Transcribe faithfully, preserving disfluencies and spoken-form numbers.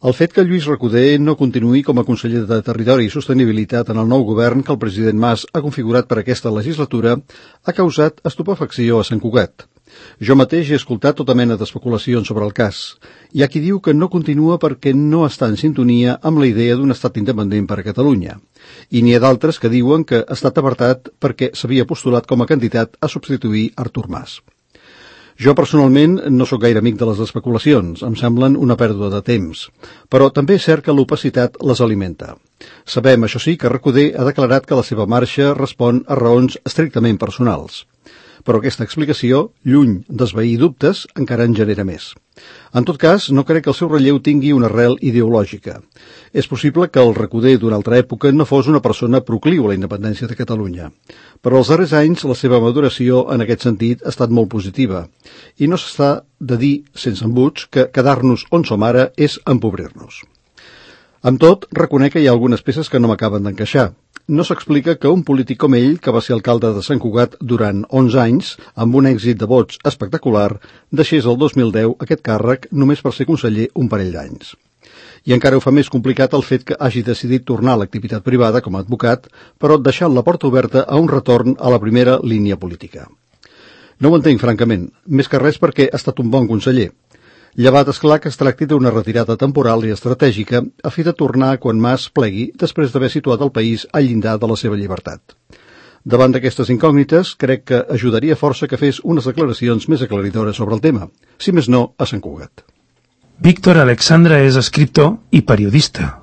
El fet que Lluís Recoder no continuï com a conseller de Territori i Sostenibilitat en el nou govern que el president Mas ha configurat per aquesta legislatura ha causat estupefacció a Sant Cugat. Jo mateix he escoltat tota mena d'especulacions sobre el cas. Hi ha qui diu que no continua perquè no està en sintonia amb la idea d'un estat independent per a Catalunya. I n'hi ha d'altres que diuen que ha estat apartat perquè s'havia postulat com a candidat a substituir Artur Mas. Jo personalment no sóc gaire amic de les especulacions, em semblen una pèrdua de temps, però també és cert que l'opacitat les alimenta. Sabem, això sí, que Recoder ha declarat que la seva marxa respon a raons estrictament personals. Però aquesta explicació, lluny d'esvair dubtes, encara en genera més. En tot cas, no crec que el seu relleu tingui una arrel ideològica. És possible que el Recoder d'una altra època no fos una persona procliu a la independència de Catalunya, però els darrers anys la seva maduració en aquest sentit ha estat molt positiva, i no s'està de dir, sense embuts, que quedar-nos on som ara és empobrir-nos. Amb tot, reconec que hi ha algunes peces que no m'acaben d'encaixar. No s'explica que un polític com ell, que va ser alcalde de Sant Cugat durant onze anys, amb un èxit de vots espectacular, deixés el dos mil deu aquest càrrec només per ser conseller un parell d'anys. I encara ho fa més complicat el fet que hagi decidit tornar a l'activitat privada com a advocat, però deixant la porta oberta a un retorn a la primera línia política. No ho entenc, francament, més que res perquè ha estat un bon conseller. Llevat, esclar, que es tracti d'una retirada temporal i estratègica a fi de tornar quan Mas plegui després d'haver situat el país al llindar de la seva llibertat. Davant d'aquestes incògnites, crec que ajudaria força que fes unes declaracions més aclaridores sobre el tema, si més no, a Sant Cugat. Víctor Alexandra és escriptor i periodista.